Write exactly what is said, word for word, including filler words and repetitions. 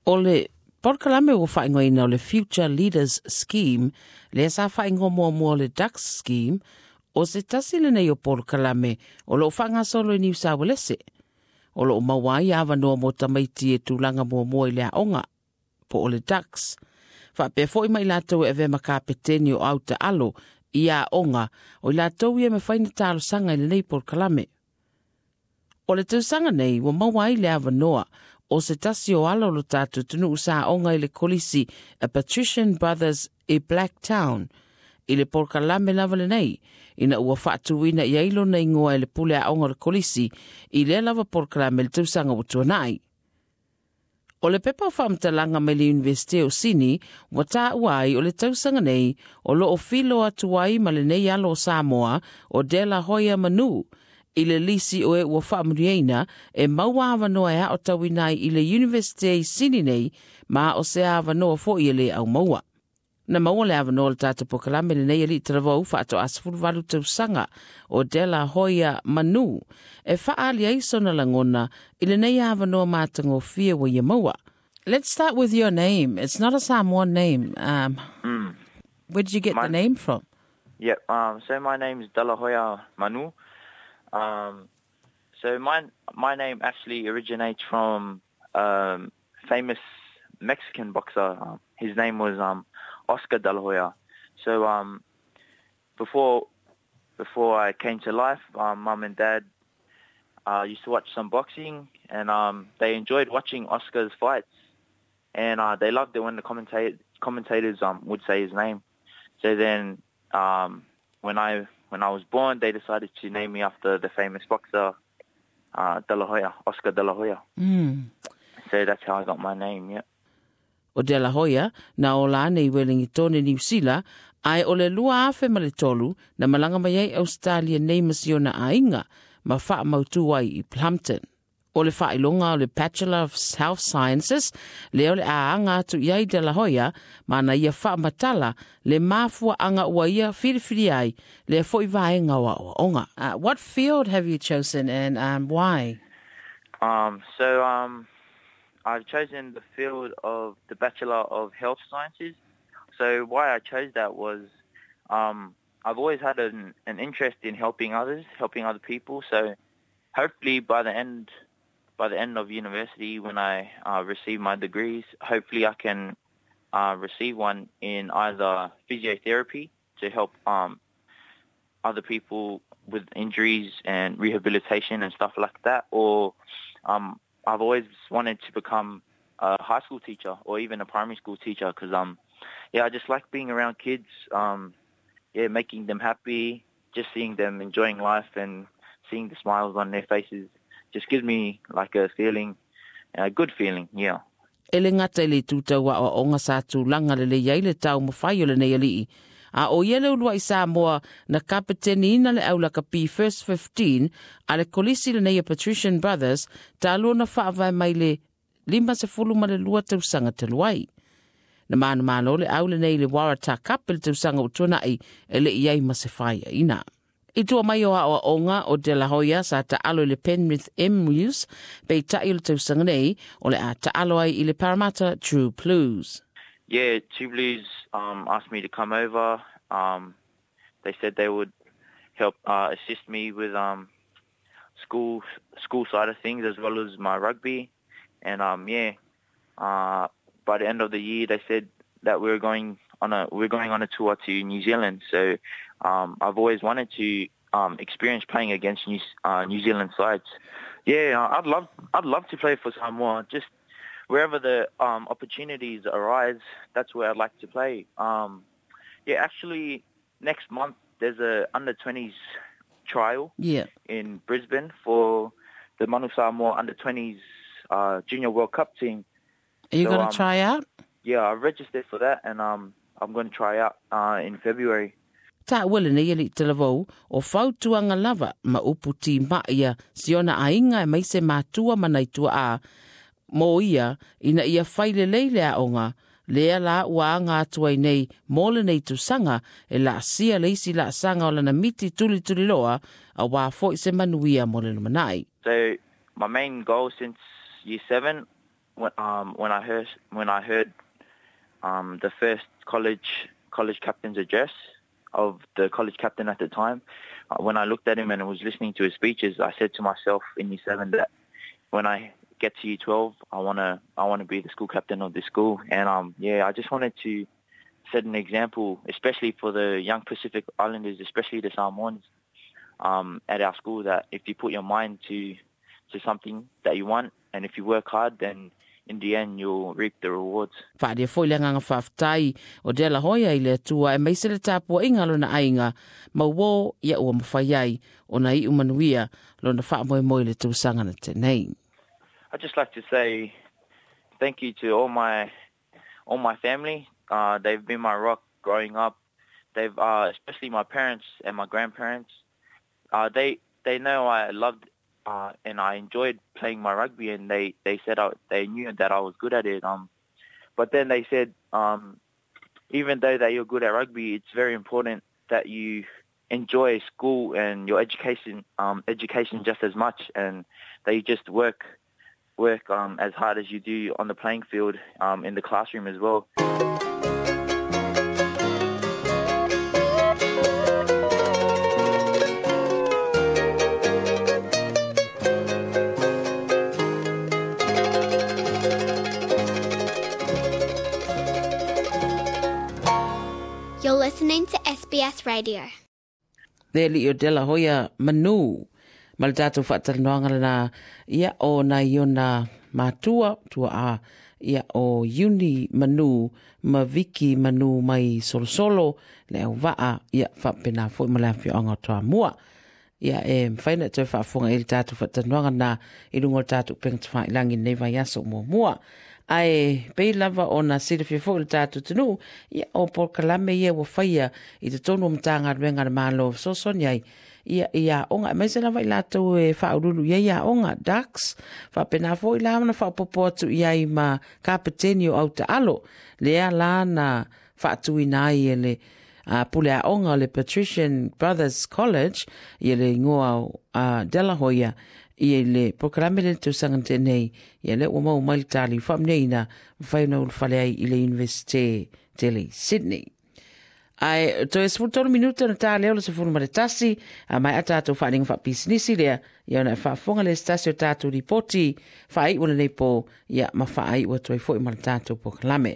O le polokalame ua faaigoaina o le Future Leaders Scheme, lea sa faaigoa muamua o le Dux Scheme, o se tasi lenei o polokalame o loo faagasolo i Niu Sauelese. O loo maua ai avanoa mo tamaiti e tulaga muamua i le aoga, po o le Dux. Faapea foi ma i latou e avea ma kapeteni o au taalo i aoga o i latou ia e mafai ona talosaga i lenei polokalame. O le tausaga nei ua maua ai le avanoa o se tasi o alo o lo tatou atunuu sa aoga i le kolisi a Patrician Brothers i Blacktown i le polokalame lava lenei ina ua faatuina i ai lona igoa e le pule aoga o le kolisi i lea lava polokalame i le tausaga ua tuanai. O le pepa o faamatalaga mai le Iunivesite o Sini ua taua ai o le tausaga nei o loo filo atu ai ma lenei alo o Samoa o De La Hoya Manu i le lisi o e ua faamanuiaina e maua avanoa e aotauina ai i le Iunivesite i Sini nei ma o se avanoa foi e le aumaua. Na maua le avanoa o le tatou polokalame lenei alii talavou faatoa sefuluvalu tausaga o De La Hoya Manu e faaali ai sona lagona i lenei avanoa matagofie ua ia maua. Let's start with your name. It's not a Samoan name. Um, Mm. Where did you get My- the name from? Yep. Um, so my name is De La Hoya Manu. Um, so my my name actually originates from um, famous Mexican boxer. Um, his name was um, Oscar De La Hoya. So um, before before I came to life, um, mum and dad uh, used to watch some boxing, and um, they enjoyed watching Oscar's fights, and uh, they loved it when the commenta- commentators um, would say his name. So then, um, when I when I was born, they decided to name me after the famous boxer, uh, De La Hoya, Oscar De La Hoya. Mm. So that's how I got my name. Yeah. O De La Hoya na ola ane i Wellington Niu Sila, ae o le lua afe ma le tolu na malaga mai ai Australia nei ma si ona aiga ma faamautu ai i Plumpton. O le faailoga o le Bachelor of Health Sciences, lea o le a aga atu i ai De La Hoya, ma na ia faamatala le mafuaaga ua ia filifili ai lea foi vaega o aoaoga. Uh, what field have you chosen and um, why? Um, so um, I've chosen the field of the Bachelor of Health Sciences. So why I chose that was um, I've always had an, an interest in helping others, helping other people. So hopefully by the end by the end of university, when I uh, receive my degrees, hopefully I can uh, receive one in either physiotherapy to help um, other people with injuries and rehabilitation and stuff like that, or um, I've always wanted to become a high school teacher or even a primary school teacher because um, yeah, I just like being around kids, um, yeah, making them happy, just seeing them enjoying life and seeing the smiles on their faces just gives me like a feeling, a good feeling, yeah. E le gata i le itu tau aoaoga sa tulaga lelei ai le taumafai o lenei alii. A o ia le uluai Samoa na kapeteniina le au lakapi First fifteen a le kolisi lenei a Patrician Brothers talu ona faavae mai le lima sefulu ma le lua tausaga talu ai. Na manumalo le au lenei le Waratah Cup i le tausaga ua tuanai e le i ai ma se faiaina. I tua mai o aoaoga o De La Hoya sa taalo i le Penrith Emus, peitai o le tausaga nei o le a taalo ai i le Parramatta True Blues. Yeah, True Blues um, asked me to come over. Um, they said they would help uh, assist me with um, school school side of things as well as my rugby. And um, yeah, uh, by the end of the year, they said that we were going on a we're going on a tour to New Zealand. So um, I've always wanted to um, experience playing against New, uh, New Zealand sides. Yeah, I'd love I'd love to play for Samoa. Just wherever the um, opportunities arise, that's where I'd like to play. Um, yeah, actually, next month there's a under twenties trial Yeah. in Brisbane for the Manu Samoa under twenties, uh, Junior World Cup team. Are you So, gonna um, try out? Yeah, I registered for that, and, um, I'm gonna try out, uh, in February. Taua lenei alii talavou o fautuaga lava ma upu timai ia si ona aiga aemaise matua ma nai tuaa mo ia ina ia fai lelei le aoga lea la ua aga atu ai nei mo lenei tausaga e laasia le isi laasaga o lana miti tulituliloa auā foi se manuia mo le lumanai. So my main goal since year seven When, um, when I heard when I heard um, the first college college captain's address of the college captain at the time, uh, when I looked at him and was listening to his speeches, I said to myself in year seven that when I get to year twelve, I wanna I wanna be the school captain of the school. And um, yeah, I just wanted to set an example, especially for the young Pacific Islanders, especially the Samoans, um, at our school, that if you put your mind to to something that you want, and if you work hard, then in the end you'll reap the rewards. Whaaria foi le nganga whaaftai o De La Hoya i le atua e meise le tāpua inga lona ainga, mauō ia ua mawhai ai o na i umanuia lona whaamoe moi le tūsanga na tēnei. I'd just like to say thank you to all my all my family. Uh, they've been my rock growing up. They've uh, especially my parents and my grandparents. Uh, they they know I loved uh, and I enjoyed playing my rugby, and they, they said I, they knew that I was good at it. Um, but then they said, um, even though that you're good at rugby, it's very important that you enjoy school and your education, um, education just as much, and that you just work work um, as hard as you do on the playing field, um, in the classroom as well. You're listening to S B S Radio. Le li o De La Hoya Manu, ma le tātou whaatalanoanga lana ia o nai ona matua, tua a ia o Uni Manu, ma Viki Manu mai Solosolo, le au vaa ia whapena foi ma le awhioanga o toa mua. Ia e mwhaina te whaafonga i le tātou whaatalanoanga na i lunga o le tātou penga te whailangi nei vai aso mua mua. Ae pei lava o na silafia foi le tātou tunu, ia o polokalame ia ua whaia i te tonu o matanga ruenga na mālo sosoni ai. Ia ia onga, mai se lava i lātou e whaurulu ia ia onga, Ducks, whapena foi la na whapopo atu ia i ma kapeteni o au te alo, lea la na whaatuina ai e le uh, pule a onga o le Patrician Brothers College, ia le ingoa o uh, De La Hoya, ia le polokalame le tausaga tēnei, ia le ua mau mai le tali whaamneina, mwhai na ulufale ai i le Universite Tele Sydney. Ai, to e sefulu tolu minuta na tā leo le sefulu ma le tasi, a mai a tātou whaaninga whaapisinisi lea, ia ona e whaafonga le stasi o tātou ripoti, whaai ua nei pō, ia ma whaai ua toi foi ma le tātou polokalame.